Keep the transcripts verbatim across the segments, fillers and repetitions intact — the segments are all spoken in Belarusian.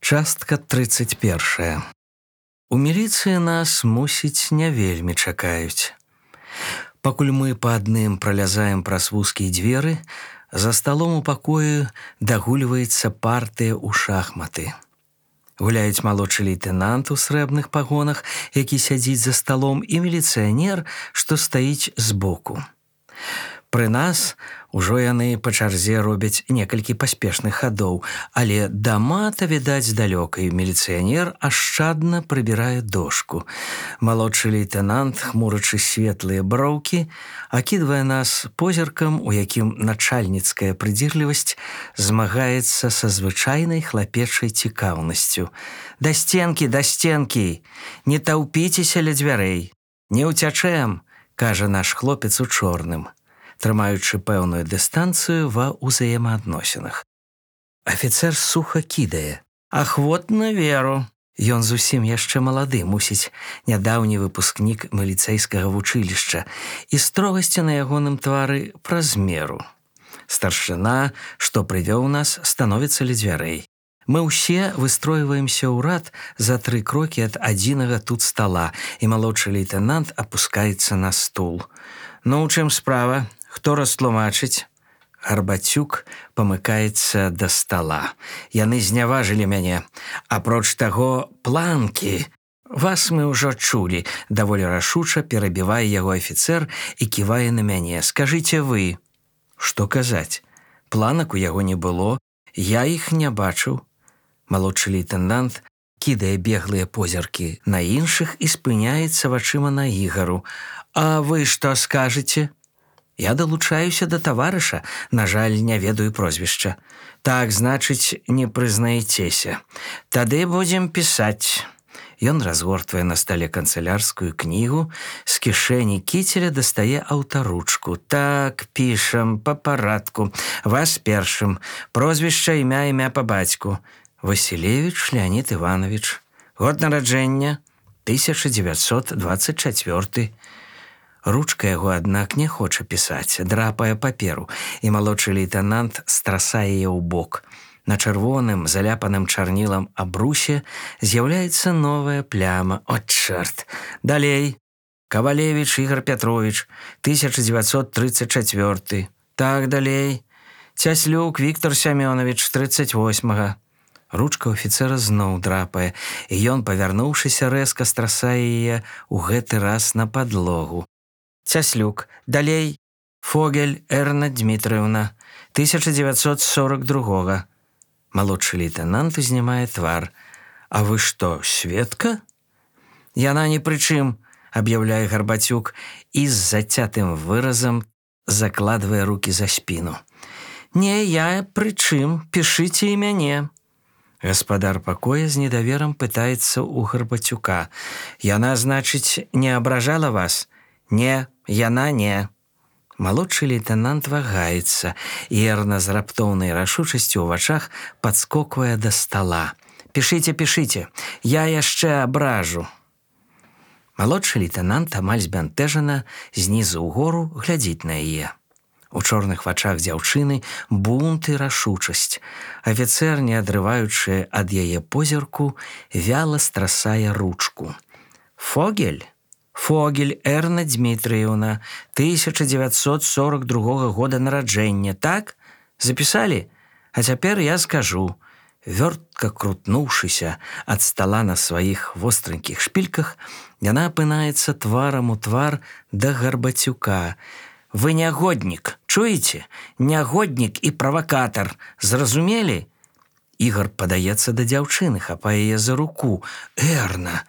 Частка тридцать першая. У міліцыі нас, мусіць, не вельмі чакаюць. Пакуль мы па адным пралязаем праз вузкія дзверы, за сталом у пакоі дагульваецца партыя ў шахматы. Гуляюць малодшы лейтэнант у срэбных пагонах, які сядзіць за сталом, і міліцыянер, што стаіць збоку. Пры нас ужо яны па чарзе робяць некалькі паспешных хадоў, але да мата відаць здалёка, і міліцыянер ашчадна прыбірае дошку. Малодшы лейтэнант, хмурачы светлыя броўкі, акідвае нас позіркам, у якім начальніцкая прыдзірлівасць змагаецца са звычайнай хлапечай цікаўнасцю. «Да стенкі, да стенкі! Не таўпіцеся ля дзвярэй! Не ўцячэм!» – кажа наш хлопец у чорным, трымаючы пэўную дыстанцыю ва ўзаемаадносінах. Афіцэр суха кідае: «Ахвотна веру». Ён зусім яшчэ малады, мусіць, нядаўні выпускнік міліцэйскага вучылішча, і строгасці на ягоным твары праз меру. Старшына, што прывёў нас, становіцца ля дзвярэй. Мы ўсе выстройваемся ў рад за тры крокі ад адзінага тут стала, і малодшы лейтэнант апускаецца на стул. «Ну, у чым справа? Хто растлумачыць?» Гарбацюк памыкаецца да стала. «Яны зняважылі мяне. Апроч таго, планкі. Вас мы ўжо чулі», – даволі рашуча перабівае яго афіцэр і ківае на мяне. «Скажыце вы». Што казаць? Планак у яго не было, я іх не бачыў. Малодшы лейтэнант кідае беглыя позіркі на іншых і спыняецца вачыма на Ігару. «А вы што скажаце?» «Я далучаюся да таварыша, на жаль, не ведаю прозвішча». «Так, значыць, не прызнаецеся. Тады будзем пісаць». Ён разгортвае на стале канцылярскую кнігу, з кішэні кіцеля дастае аўтаручку. «Так, пішам, па парадку. Вас першым. Прозвішча, імя, імя па бацьку. Васілевіч Леонід Іванович. Год нараджэння тысяча дзевяцьсот дваццаць чацвёрты». Ручка яго, аднак, не хоча пісаць, драпае паперу, і малодшы лейтэнант страсае яе ў бок. На чырвоным, заляпаным чарнілам абрусе з'яўляецца новая пляма. «О, чэрт! Далей! Кавалевіч Ігар Пятровіч, тысяча дзевяцьсот трыццаць чацвёрты. Так, далей. Цяслюк Віктор Сямёнович, трыццаць восьмага». Ручка афіцэра зноў драпае, і ён, павярнуўшыся, рэзка страсае яе ў гэты раз на падлогу. «Цяслюк. Далей. Фогель Эрна Дмітрыўна, тысяча дзевяцьсот сорок другога». Малодшы лейтэнант узнімае твар. «А вы што, сведка?» «Яна ні пры чым», – аб'яўляе Гарбацюк і з зацятым выразам закладвае рукі за спіну. «Не, я пры чым, пішыце і мяне». Гаспадар пакоя з недаверам пытаецца ў Гарбацюка. «Яна, значыць, не абражала вас?» «Не, яна не». Малодшы лейтэнант вагаецца, і Эрна з раптоўнай рашучасцю ў вачах падскоквае да стала. «Пішыце, пішыце, я яшчэ абражу». Малодшы лейтэнант амаль збянтэжана знізу ўгору глядзіць на яе. У чорных вачах дзяўчыны бунт і рашучасць. Афіцэр, не адрываючы ад яе позірку, вяла страсае ручку. «Фогель? Фогель Эрна Дмітрыўна, тысяча дзевяцьсот сорок другога года нараджэння, так? Запісалі? А цяпер я скажу». Вёртка крутнуўшыся ад стала на сваіх востранькіх шпільках, яна апынаецца тварам у твар да Гарбацюка. «Вы нягоднік, чуеце? Нягоднік і правакатар. Зразумелі?» Ігар падаецца да дзяўчыны, хапае яе за руку. «Эрна!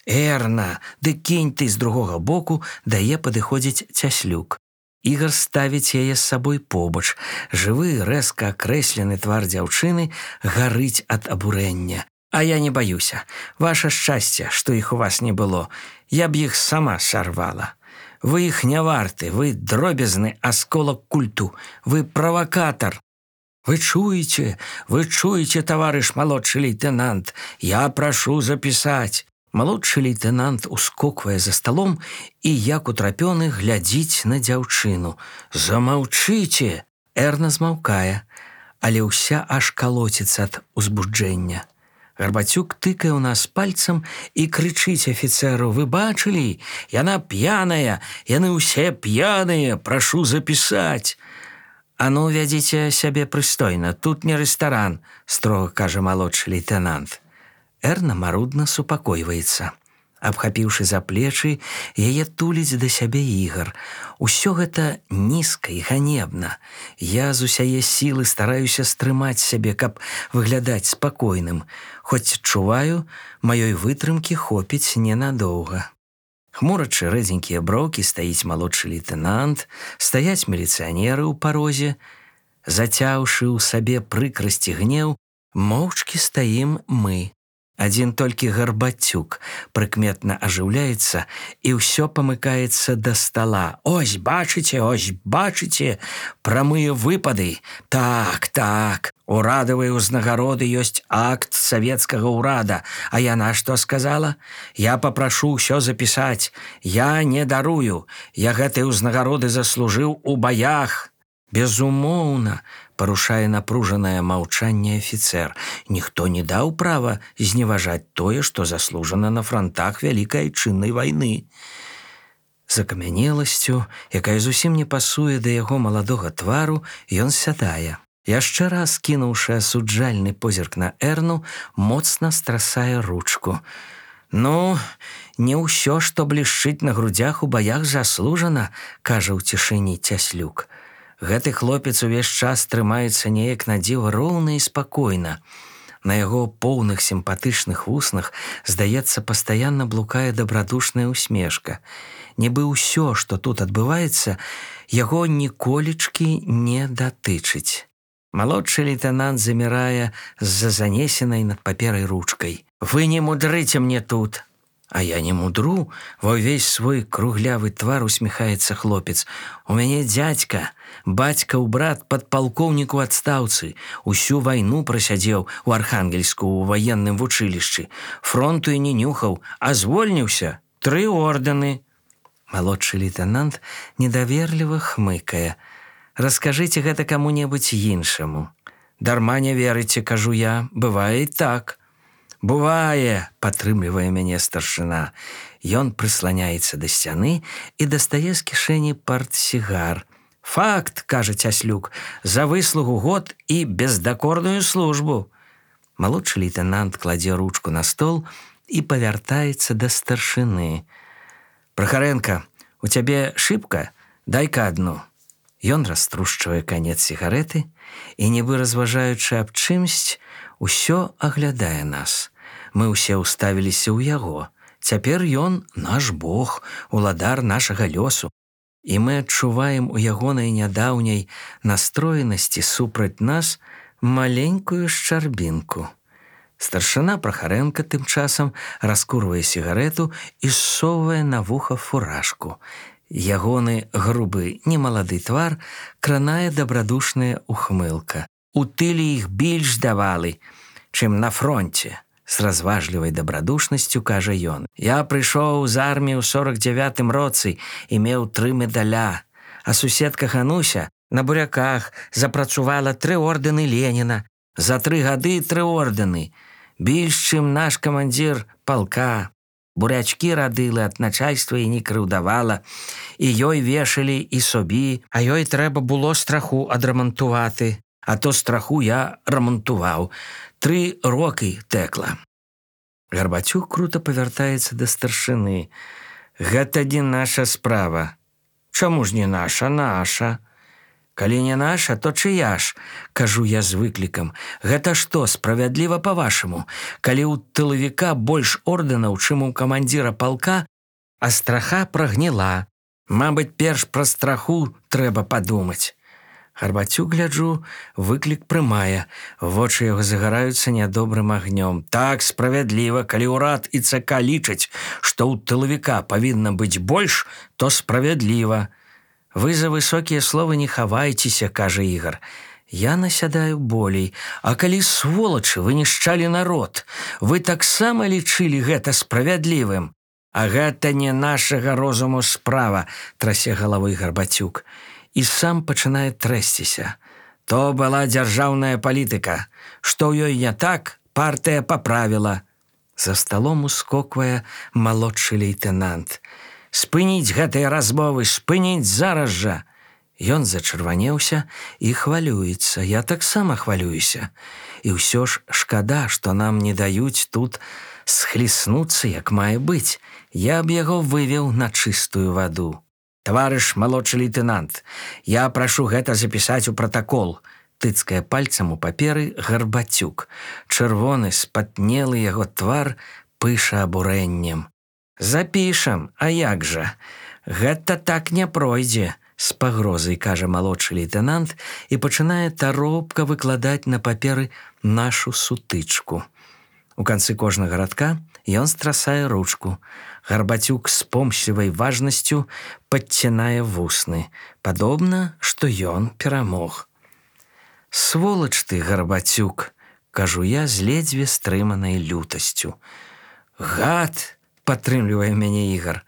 Эрна, ды кінь ты з другога боку», дае падыходзіць Цяслюк. Ігар ставіць яе з сабой побач. Жывы, рэзка акрэслены твар дзяўчыны гарыць ад абурэння. «А я не баюся. Ваша шчасце, што іх у вас не было. Я б іх сама сарвала. Вы іх не варты, вы дробязны асколак культу, вы правакатар». «Вы чуеце, вы чуеце, таварыш малодшы лейтэнант, я прашу запісаць». Малодшы лейтэнант ускоквае за сталом і, як утрапёны, глядзіць на дзяўчыну. «Замаўчыце!» Эрна змаўкае, але ўся аж калоціцца ад узбуджэння. Гарбацюк тыкае ў нас пальцам і крычыць афіцэру: «Вы бачылі? Яна п'яная! Яны ўсе п'яныя! Прашу запісаць!» «А ну, вядзіце сябе прыстойна, тут не рэстаран», – строга кажа малодшы лейтэнант. Эрна марудна супакойваецца. Абхапіўшы за плечы, яе туліць да сябе Ігар. Усё гэта нізка і ганебна. Я з усяе сілы стараюся стрымаць сябе, каб выглядаць спакойным. Хоць чуваю, маёй вытрымкі хопіць ненадоўга. Хмурачы рэдзенькія броўкі стаіць малодшы лейтэнант, стаяць міліцыянеры ў парозе. Зацяўшы ў сабе прыкрасць і гнеў, моўчкі стаім мы. Адзін толькі Гарбацюк прыкметна ажыўляецца і ўсё памыкаецца да стала. «Ось, бачыце, ось, бачыце, прамыя выпады. Так, так, урадавыя ўзнагароды ёсць акт савецкага ўрада. А яна што сказала? Я папрашу ўсё запісаць. Я не дарую. Я гэтай ўзнагароды заслужыў у баях». «Безумоўна», – парушае напружанае маўчанне афіцэр. «Ніхто не даў права зневажаць тое, што заслужана на франтах вялікай айчыннай вайны». З акамянеласцю, якая зусім не пасуе да яго маладога твару, ён сядае. Яшчэ раз кінуўшы асуджальны позірк на Эрну, моцна страсае ручку. «Ну, не ўсё, што блішчыць на грудзях у баях, заслужана», – кажа ў цішыні Цяслюк. Гэты хлопец увесь час трымаецца неяк на дзіва роўна і спакойна. На яго поўных сімпатычных вуснах, здаецца, пастаянна блукае дабрадушная усмешка. Нібы ўсё, што тут адбываецца, яго ніколечкі не датычыць. Малодшы лейтэнант замірае з-за занесенай над паперай ручкай. «Вы не мудрыце мне тут!» «А я не мудру», – ва ўвесь свой круглявы твар усміхаецца хлопец. «У мяне дзядзька, бацькаў брат падпалкоўнік у адстаўцы. Усю вайну прасядзеў у Архангельску ў ваенным вучылішчы. Фронту і не нюхаў, а звольніўся. Тры ордэны». Малодшы лейтэнант недаверліва хмыкае. «Раскажыце гэта каму-небудзь іншаму». «Дарма не верыце, кажу я, бывае і так». «Бывае», – падтрымлівае мяне старшына. Ён прысланяецца да сцяны і дастае з кішэні партсігар. «Факт», – кажа Цяслюк, – «за выслугу год і бездакорную службу». Малодшы лейтэнант кладзе ручку на стол і павяртаецца да старшыны. «Прахаренка, у цябе шыбка? Дай-ка адну». Ён раструшчвае канец сігарэты і, нібы разважаючы аб чымсьці, усё аглядае нас. Мы ўсе ўставіліся ў яго. Цяпер ён наш бог, уладар нашага лёсу. І мы адчуваем у ягонай нядаўняй настроенасці супраць нас маленькую шчарбінку. Старшына Прахаренка тым часам раскурвае сігарэту і ссоўвае на вуха фуражку. Ягоны грубы, немалады твар кранае дабрадушная ухмылка. «У тыле іх більш давалі, чым на фронте», – з разважлівай дабрадушнасцю кажа ён. «Я прыйшоў з арміі ў сорак дзявятым роцы і меў тры медаля, а суседка Хануся на буряках запрацувала тры ордэны Леніна. За тры гады тры ордэны. Більш, чым наш камандзір палка. Бурячкі радылы ад начальства і не крыўдавала, і ёй вешалі і собі, а ёй трэба было страху адрамантувати. А то страху я рамантуваў. Тры рокі тэкла». Гарбацюк крута павяртаецца да старшыны. «Гэта не наша справа». «Чаму ж не наша, наша?» «Калі не наша, то чыя ж?» – кажу я з выклікам. «Гэта што, справядліва па-вашаму? Калі ў тылавіка больш ордэнаў, чым у камандзіра палка, а страха прагніла. Мабыць, перш пра страху трэба падумаць». Гарбацюк, гляджу, выклік прымае. Вочы яго загараюцца нядобрым агнём. «Так, справядліва, калі ўрад і ЦК лічаць, што ў тылавіка павінна быць больш, то справядліва». «Вы за высокія словы не хавайцеся», – кажа Ігар. Я насядаю болей. «А калі, сволачы, вы нішчалі народ, вы таксама лічылі гэта справядлівым?» «А гэта не нашага розуму справа», – трасе галавой Гарбацюк. І сам пачынае трэсціся. «То была дзяржаўная палітыка. Што ў ёй не так, партыя паправіла. За сталом ускоквае малодшы лейтэнант. Спыніць гэтыя размовы, спыніць зараз жа. Ён зачырванеўся і хвалюецца. Я таксама хвалююся. І ўсё ж шкада, што нам не даюць тут схліснуцца, як мае быць. Я б яго вывеў на чыстую ваду. Таварыш малодшы лейтэнант, я прашу гэта запісаць у пратакол. Тыцкае пальцам у паперы Гарбацюк. Чырвоны, спатнелы яго твар пыша абурэннем. Запішам, а як жа? Гэта так не пройдзе. З пагрозай кажа малодшы лейтэнант і пачынае таропка выкладаць на паперы нашу сутычку. У канцы кожнага радка ён страсае ручку. Гарбацюк з помслівай важнасцю падцінае вусны. Падобна, што ён перамог. Сволач ты, Гарбацюк, кажу я з ледзьве стрыманай лютасцю. Гад, падтрымлівае мяне Ігар.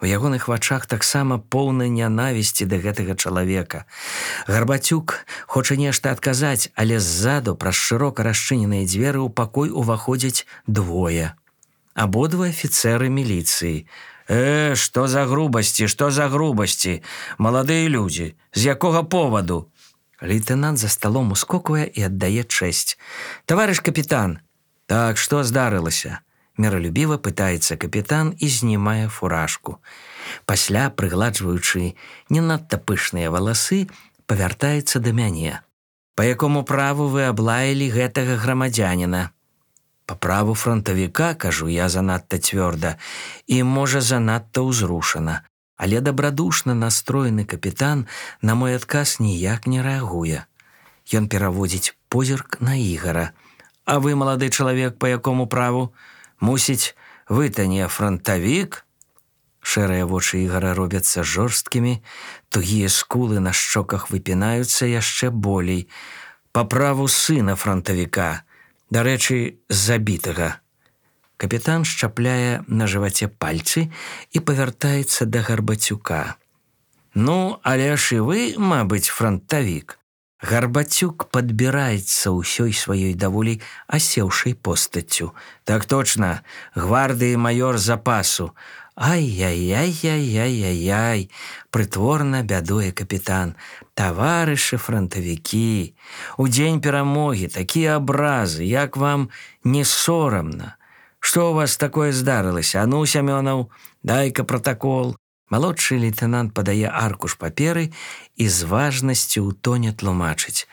У ягоных вачах таксама поўна нянавісці да гэтага чалавека. Гарбацюк хоча нешта адказаць, але ззаду праз шырока расчыненыя дзверы ў пакой уваходзяць двое. Абодва афіцэры міліцыі. Э, што за грубасці, што за грубасці? Маладыя людзі, з якога поваду? Лейтэнант за сталом ускоквае і аддае чэсць. Таварыш капітан. Так, што здарылася? Міралюбіва пытаецца капітан і знімае фуражку. Пасля, прыгладжваючы не надта пышныя валасы, павяртаецца да мяне. Па якому праву вы аблаялі гэтага грамадзяніна? Па праву фронтавіка, кажу я занадта цвёрда, і, можа, занадта ўзрушана. Але дабрадушна настроены капітан на мой адказ ніяк не рэагуе. Ён пераводзіць позірк на Ігара. А вы, малады чалавек, па якому праву? Мусіць, вы-то не фронтавік? Шэрыя вочы Ігара робяцца жорсткімі, тугія скулы на шчоках выпінаюцца яшчэ болей. Па праву сына фронтавіка, дарэчы, забітага. Капітан шчапляе на жываце пальцы і павяртаецца да Гарбацюка. Ну, але ж і вы, мабыць, фронтавік. Гарбацюк падбіраецца ўсёй сваёй даволі асеўшай постаццю. Так точна, гвардыі маёр запасу. Ай-яй-яй-яй-яй-яй, прытворна бядуе капітан. Таварышы фронтавікі, у дзень перамогі такія абразы, як вам не сорамна? Што ў вас такое здарылася? А ну, Сямёнаў, дай-ка пратакол. Малодшы лейтэнант падае аркуш паперы і з важнасцю ў тоне тлумачыць.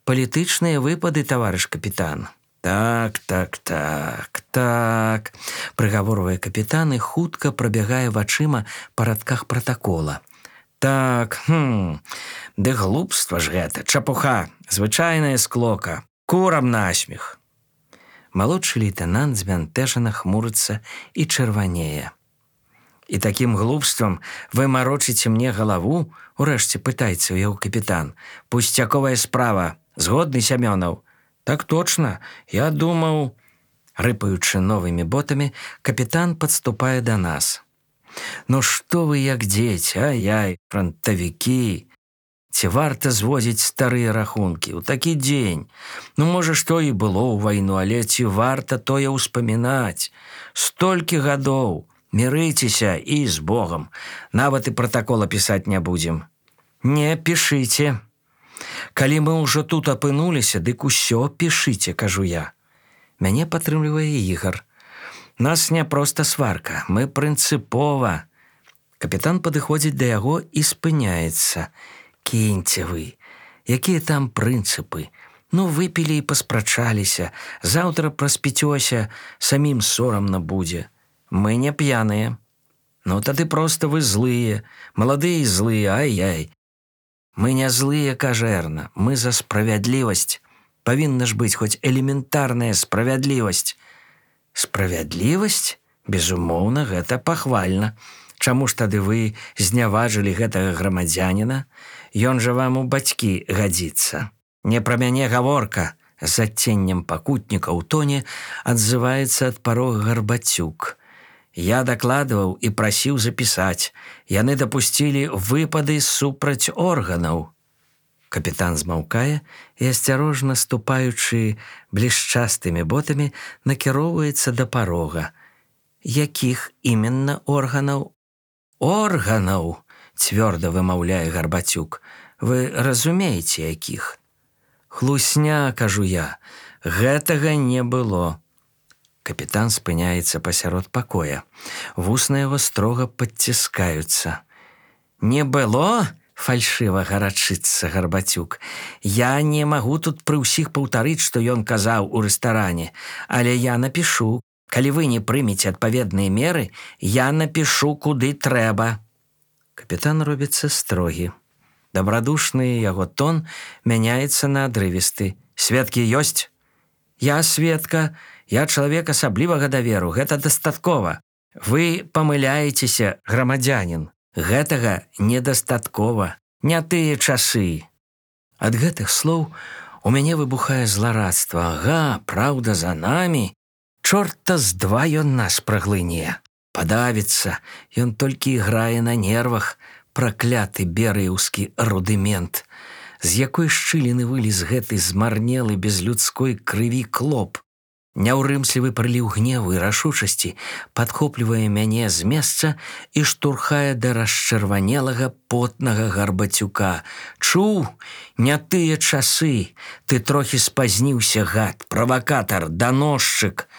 Палітычныя выпады, таварыш капітан. Так, так, так, так, прыгаворвае капітан і хутка прабягае вачыма па радках пратакола. Так, хм, ды глупства ж гэта, чапуха, звычайная склока, курам насмех. Малодшы лейтэнант збянтэжана хмурыцца і чырванее. І такім глупствам вы марочыце мне галаву? Урэшце пытаецца ў яго капітан. Пусцяковая справа. Згодны, Сямёнаў? Так точна. Я думаў... Рыпаючы новымі ботамі, капітан падступае да нас. Ну што вы як дзеці, ай-яй, фронтавікі? Ці варта звозіць старыя рахункі ў такі дзень? Ну, можа, што і было ў вайну, але ці варта тое ўспамінаць? Столькі гадоў, мірыцеся і з Богам. Нават і пратакола пісаць не будзем. Не, пішыце. Калі мы ўжо тут апынуліся, дык усё пішыце, кажу я. Мяне падтрымлівае Ігар. Нас не проста сварка, мы прынцыпова. Капітан падыходзіць да яго і спыняецца. Кіньце вы, якія там прынцыпы? Ну, выпілі і паспрачаліся, заўтра праспіцёся, самім сорамна будзе. Мы не п'яныя. Ну, тады проста вы злыя, маладыя і злыя, ай-яй. Мы не злыя, кажа Эрна, мы за справядлівасць. Павінна ж быць хоць элементарная справядлівасць. Справядлівасць? Безумоўна, гэта пахвальна. Чаму ж тады вы зняважылі гэтага грамадзяніна? Ён жа вам у бацькі гадзіцца. Не пра мяне гаворка. З адценнем пакутніка ў тоне адзываецца ад парога Гарбацюк. Я дакладваў і прасіў запісаць. Яны дапусцілі выпады супраць органаў. Капітан змаўкае і, асцярожна ступаючы блішчастымі ботамі, накіроўваецца да парога. Якіх іменна органаў? Органаў, цвёрда вымаўляе Гарбацюк. Вы разумееце, якіх? Хлусня, кажу я, гэтага не было. Капітан спыняецца пасярод пакоя. Вусны яго строга падціскаюцца. Не было? Фальшыва гарачыцца Гарбацюк. Я не магу тут пры ўсіх паўтарыць, што ён казаў у рэстаране, але я напішу. Калі вы не прымеце адпаведныя меры, я напішу, куды трэба. Капітан робіцца строгі. Дабрадушны яго тон мяняецца на адрывісты. Сведкі ёсць? Я сведка, я чалавек асаблівага даверу, гэта дастаткова. Вы памыляецеся, грамадзянін. Гэтага недастаткова, не тыя часы. Ад гэтых слоў у мяне выбухае зларадства. Ага, праўда, за намі. Чорта з два ён нас праглыне. Падавіцца, ён толькі іграе на нервах, пракляты берыеўскі рудымент. З якой шчыліны вылез гэты змарнелы без людской крыві клоп. Няўрымслівы прыліў гневу і рашучасці падхоплівае мяне з месца і штурхае да расчырванелага потнага Гарбацюка. Чуў, не тыя часы, ты трохі спазніўся, гад, правакатар, даносчык.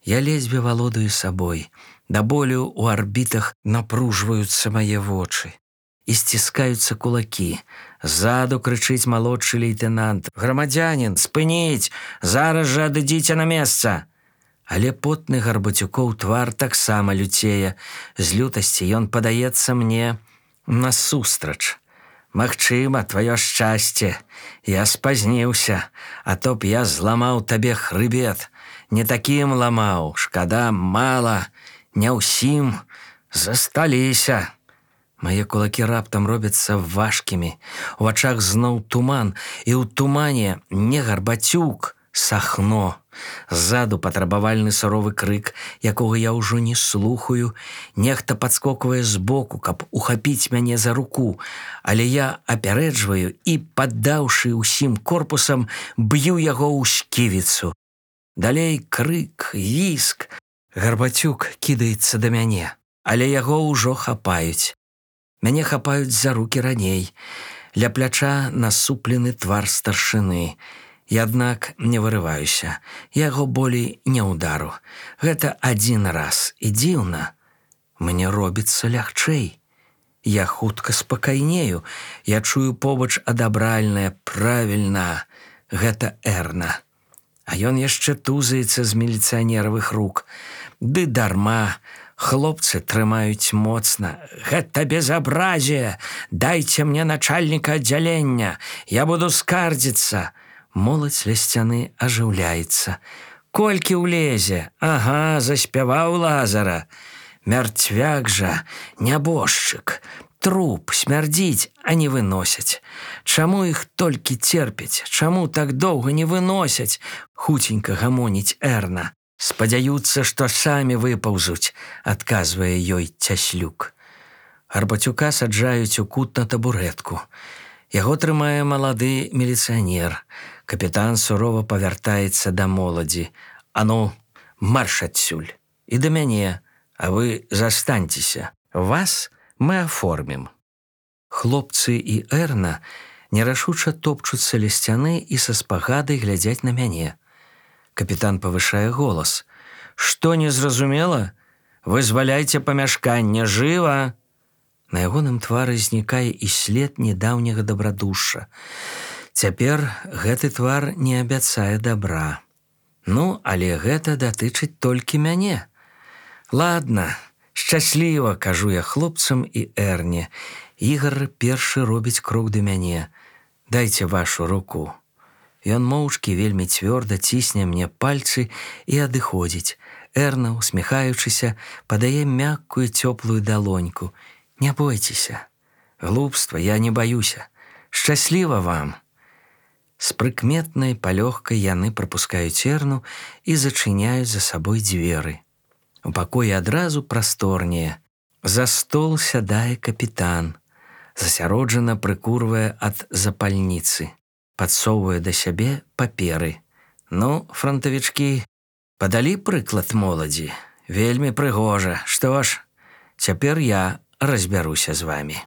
Я ледзьве валодаю сабой, да болю ў арбітах напружваюцца мае вочы. І сціскаюцца кулакі. Ззаду крычыць малодшы лейтэнант. Грамадзянін, спыніць! Зараз жа адыдзіце на месца! Але потны Гарбацюкоў твар таксама люцее. З лютасці ён падаецца мне насустрач. Магчыма, тваё шчасце. Я спазніўся, а то б я зламаў табе хрыбет. Не такім ламаў, шкада, мала, не ўсім. Засталіся. Мае кулакі раптам робяцца важкімі, у вачах зноў туман, і ў тумане не Гарбацюк, Сахно. Ззаду патрабавальны суровы крык, якога я ўжо не слухаю. Нехта падскоквае збоку, каб ухапіць мяне за руку, але я апярэджваю і, паддаўшы ўсім корпусам, б'ю яго ў сківіцу. Далей крык, віск. Гарбацюк кідаецца да мяне, але яго ўжо хапаюць. Мяне хапаюць за рукі раней. Ля пляча насуплены твар старшыны. Я, аднак, не вырываюся. Яго болей не ўдару. Гэта адзін раз. І дзіўна. Мне робіцца лягчэй. Я хутка спакайнею. Я чую побач адабральнае, правільна. Гэта Эрна. А ён яшчэ тузаецца з міліцыянеравых рук. Ды дарма. Хлопцы трымаюць моцна. Гэта безабразие! Дайце мне начальніка аддзялення. Я буду скардзіцца. Моладзь ля сцяны ажыўляецца. Колькі ўлезе? Ага, заспяваў Лазара. Мярцвяк жа, нябожчык. Труп смярдзіць, а не выносяць. Чаму іх толькі церпяць? Чаму так доўга не выносяць? Хуценька гамоніць Эрна. Спадзяюцца, што самі выпаўзуць, адказвае ёй Цяслюк. Гарбацюка саджаюць у кут на табурэтку. Яго трымае малады міліцыянер. Капітан сурова павяртаецца да моладзі. А ну, марш адсюль. І да мяне, а вы застаньцеся. Вас мы аформім. Хлопцы і Эрна нерашуча топчуцца ля сцяны і са спагадай глядзяць на мяне. Капітан павышае голас. Што незразумела? Вызваляйце памяшканне, жыва! На ягоным твары знікае і след недаўняга дабрадушша. Цяпер гэты твар не абяцае дабра. Ну, але гэта датычыць толькі мяне. Ладна, шчасліва, кажу я хлопцам і Эрне. Ігар першы робіць крок да мяне. Дайце вашу руку. Ён моўчкі вельмі цвёрда цісне мне пальцы і адыходзіць. Эрна, усміхаючыся, падае мяккую цёплую далоньку. Не бойцеся. Глупства, я не баюся. Шчасліва вам. З прыкметнай палёгкай яны прапускаюць Эрну і зачыняюць за сабой дзверы. У пакоі адразу прасторнее. За стол сядае капітан. засяроджана прыкурвае ад запальніцы, падсоўвае да сябе паперы. Ну, фронтавічкі, падалі прыклад моладзі. Вельмі прыгожа. Што ж, цяпер я разбяруся з вамі.